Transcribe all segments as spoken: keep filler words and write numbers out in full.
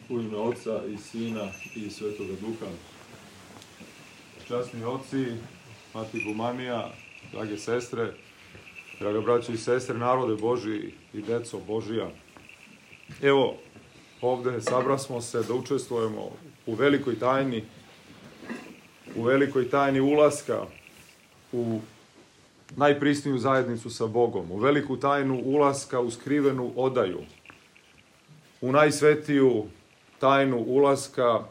U ime Oca i Sina i Svetoga Duha. Časni oci, mati Gumanija, drage sestre, draga braćo i sestre, narode Božji i deco Božija. Evo, ovde sabrasmo se da učestvujemo u velikoj tajni, u velikoj tajni ulaska u najprisniju zajednicu sa Bogom, u veliku tajnu ulaska u skrivenu odaju, u najsvetiju tajnu ulaska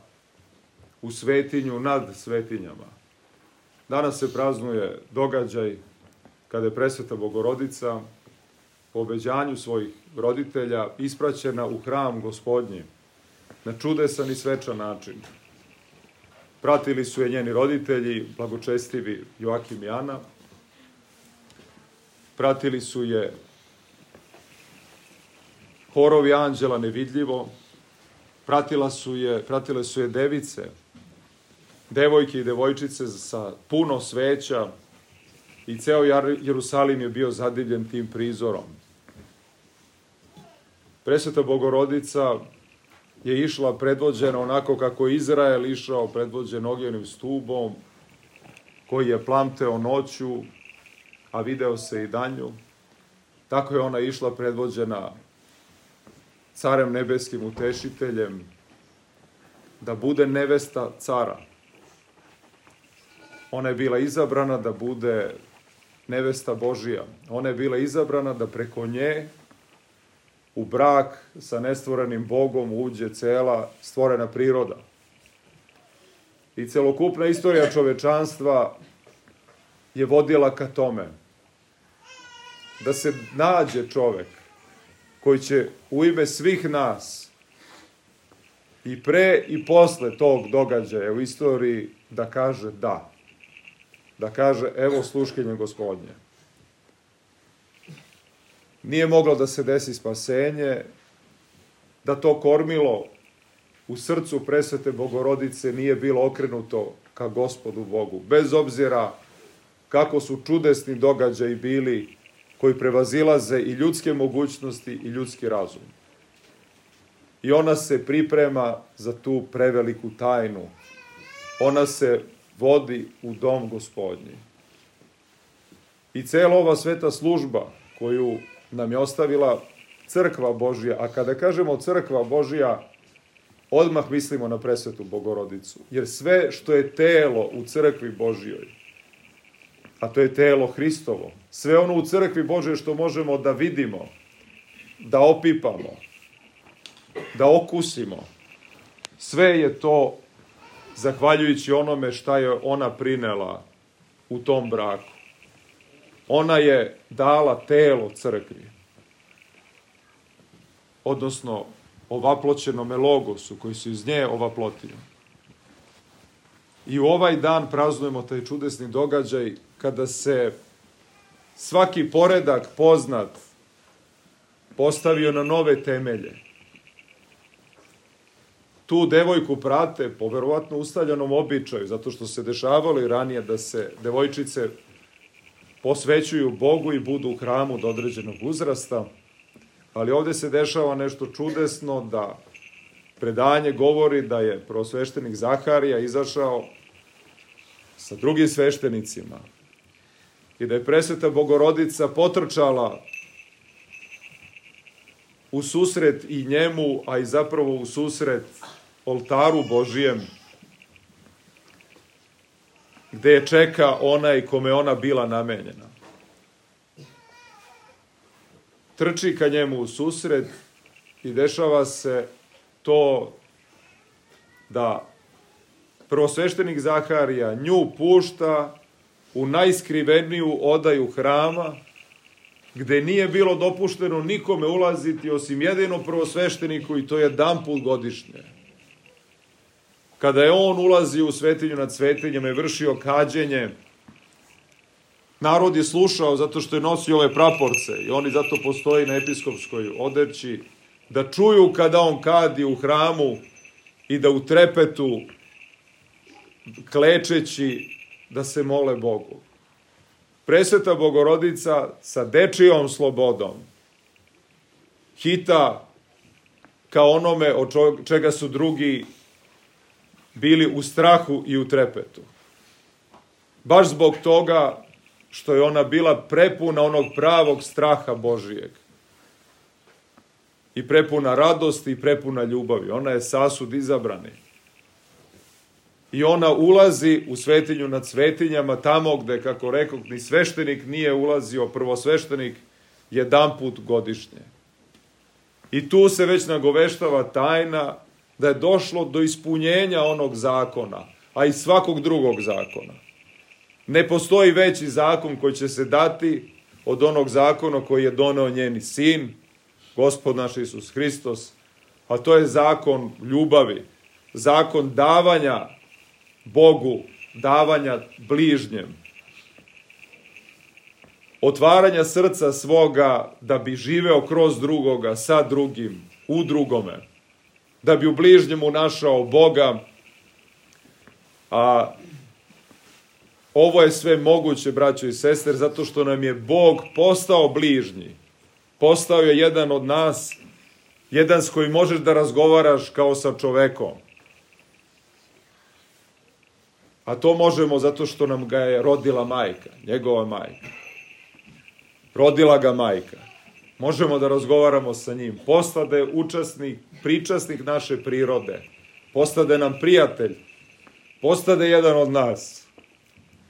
u svetinju nad svetinjama. Danas se praznuje događaj kada je presveta Bogorodica po obećanju svojih roditelja ispraćena u hram Gospodnji na čudesan i svečan način. Pratili su je njeni roditelji, blagočestivi Joakim i Ana. Pratili su je horovi anđela nevidljivo, pratila su je, pratile su je device, devojke i devojčice sa puno sveća i ceo Jerusalim je bio zadivljen tim prizorom. Presveta Bogorodica je išla predvođena onako kako je Izrael išao predvođen ognjenim stubom, koji je plamteo noću, a video se i danju. Tako je ona išla predvođena carem nebeskim utešiteljem, da bude nevesta cara. Ona je bila izabrana da bude nevesta Božija. Ona je bila izabrana da preko nje u brak sa nestvorenim Bogom uđe cela stvorena priroda. I celokupna istorija čovečanstva je vodila ka tome da se nađe čovek koji će u ime svih nas i pre i posle tog događaja u istoriji da kaže da. Da kaže evo sluškinje Gospodnje. Nije moglo da se desi spasenje, da to kormilo u srcu presvete Bogorodice nije bilo okrenuto ka Gospodu Bogu. Bez obzira kako su čudesni događaji bili koji prevazilaze i ljudske mogućnosti i ljudski razum. I ona se priprema za tu preveliku tajnu. Ona se vodi u dom Gospodnji. I cela ova sveta služba koju nam je ostavila crkva Božja, a kada kažemo crkva Božja, odmah mislimo na presvetu Bogorodicu. Jer sve što je telo u crkvi Božjoj, a to je telo Hristovo, sve ono u crkvi Božjoj što možemo da vidimo, da opipamo, da okusimo, sve je to zahvaljujući onome šta je ona prinela u tom braku. Ona je dala telo crkvi, odnosno ovaploćenome logosu koji su iz nje ovaplotio. I u ovaj dan praznujemo taj čudesni događaj kada se svaki poredak poznat postavio na nove temelje. Tu devojku prate po verovatno ustaljenom običaju, zato što se dešavalo i ranije da se devojčice posvećuju Bogu i budu u hramu do određenog uzrasta, ali ovde se dešava nešto čudesno, da predanje govori da je prvosveštenik Zaharija izašao sa drugim sveštenicima i da je presveta Bogorodica potrčala u susret i njemu, a i zapravo u susret oltaru Božijem, gde je čeka onaj kome ona bila namenjena. Trči ka njemu u susret i dešava se to da prvosveštenik Zaharija nju pušta u najskriveniju odaju hrama, gde nije bilo dopušteno nikome ulaziti osim jedino prvosvešteniku, i to jedan put godišnje. Kada je on ulazio u svetinju nad svetinjama i vršio kađenje, narod je slušao zato što je nosio ove praporce i oni zato postoji na episkopskoj odeći, da čuju kada on kadi u hramu i da u trepetu, klečeći, da se mole Bogu. Presveta Bogorodica sa dečijom slobodom hita kao onome od čega su drugi bili u strahu i u trepetu. Baš zbog toga što je ona bila prepuna onog pravog straha Božijeg. I prepuna radosti i prepuna ljubavi. Ona je sasud izabrani. I ona ulazi u svetinju nad svetinjama, tamo gde, kako rekao, ni sveštenik nije ulazio, prvosveštenik, jedanput godišnje. I tu se već nagoveštava tajna da je došlo do ispunjenja onog zakona, a i svakog drugog zakona. Ne postoji veći zakon koji će se dati od onog zakona koji je doneo njeni sin, Gospod naš Isus Hristos, a to je zakon ljubavi, zakon davanja Bogu, davanja bližnjem, otvaranja srca svoga da bi živeo kroz drugoga, sa drugim, u drugome, da bi u bližnjemu našao Boga, a ovo je sve moguće, braćo i sestre, zato što nam je Bog postao bližnji. Postao je jedan od nas, jedan s kojim možeš da razgovaraš kao sa čovekom. A to možemo zato što nam ga je rodila majka, njegova majka. Rodila ga majka. Možemo da razgovaramo sa njim. Postade učesnik, pričasnik naše prirode. Postade nam prijatelj. Postade jedan od nas.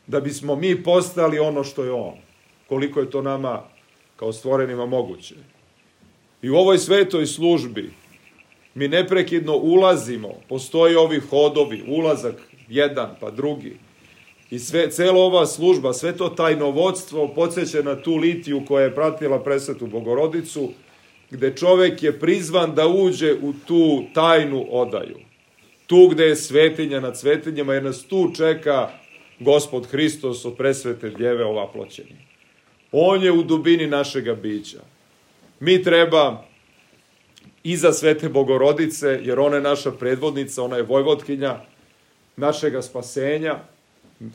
Da bismo mi postali ono što je on. Koliko je to nama kao stvorenima moguće. I u ovoj svetoj službi mi neprekidno ulazimo. Postoji ovi hodovi, ulazak jedan pa drugi. I sve, cela ova služba, sve to tajnovodstvo podsjeća na tu litiju koja je pratila presvetu Bogorodicu, gde čovek je prizvan da uđe u tu tajnu odaju. Tu gde je svetinja nad svetinjama, jer nas tu čeka Gospod Hristos od presvete djeve ovaploćeni. On je u dubini našega bića. Mi treba iza svete Bogorodice, jer ona je naša predvodnica, ona je vojvotkinja našega spasenja.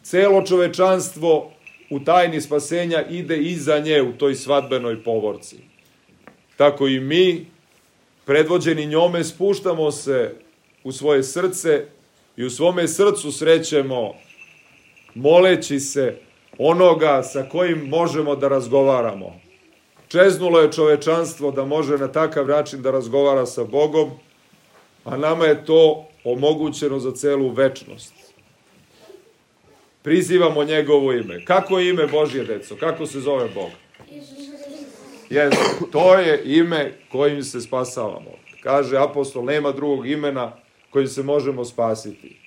Celo čovečanstvo u tajni spasenja ide iza nje u toj svadbenoj povorci. Tako i mi, predvođeni njome, spuštamo se u svoje srce i u svome srcu srećemo, moleći se onoga sa kojim možemo da razgovaramo. Čeznulo je čovečanstvo da može na takav način da razgovara sa Bogom, a nama je to omogućeno za celu večnost. Prizivamo njegovo ime. Kako je ime Božje, deco? Kako se zove Bog? Jesu, to je ime kojim se spasavamo. Kaže apostol, nema drugog imena kojim se možemo spasiti.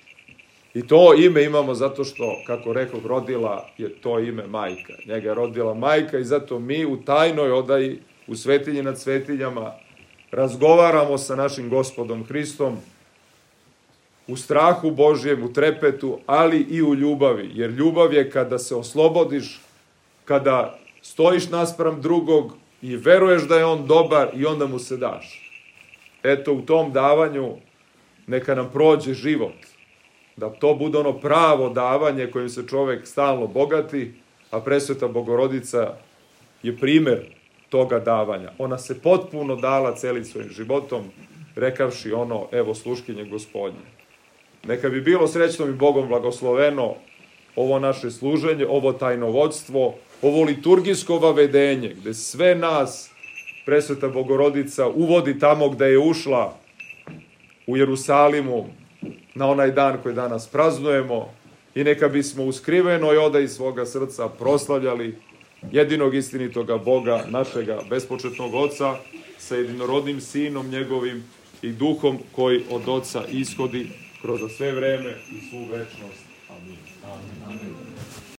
I to ime imamo zato što, kako rekao, rodila je to ime majka. Njega je rodila majka i zato mi u tajnoj odaji, u svetinji nad svetinjama, razgovaramo sa našim Gospodom Hristom, u strahu Božjem, u trepetu, ali i u ljubavi. Jer ljubav je kada se oslobodiš, kada stojiš naspram drugog i veruješ da je on dobar i onda mu se daš. Eto, u tom davanju neka nam prođe život. Da to bude ono pravo davanje kojim se čovek stalno bogati, a presveta Bogorodica je primer toga davanja. Ona se potpuno dala celim svojim životom, rekavši ono, evo sluškinje Gospodnje. Neka bi bilo srećno i Bogom blagosloveno ovo naše služenje, ovo tajnovodstvo, ovo liturgijsko vavedenje, gde sve nas presveta Bogorodica uvodi tamo gde je ušla u Jerusalimu na onaj dan koji danas praznujemo i neka bismo u skrivenoj odaji svoga srca proslavljali jedinog istinitoga Boga, našega bespočetnog Oca, sa jedinorodnim Sinom njegovim i Duhom koji od Oca ishodi kroz sve vreme i svu večnost. Amin. Amin. Amin.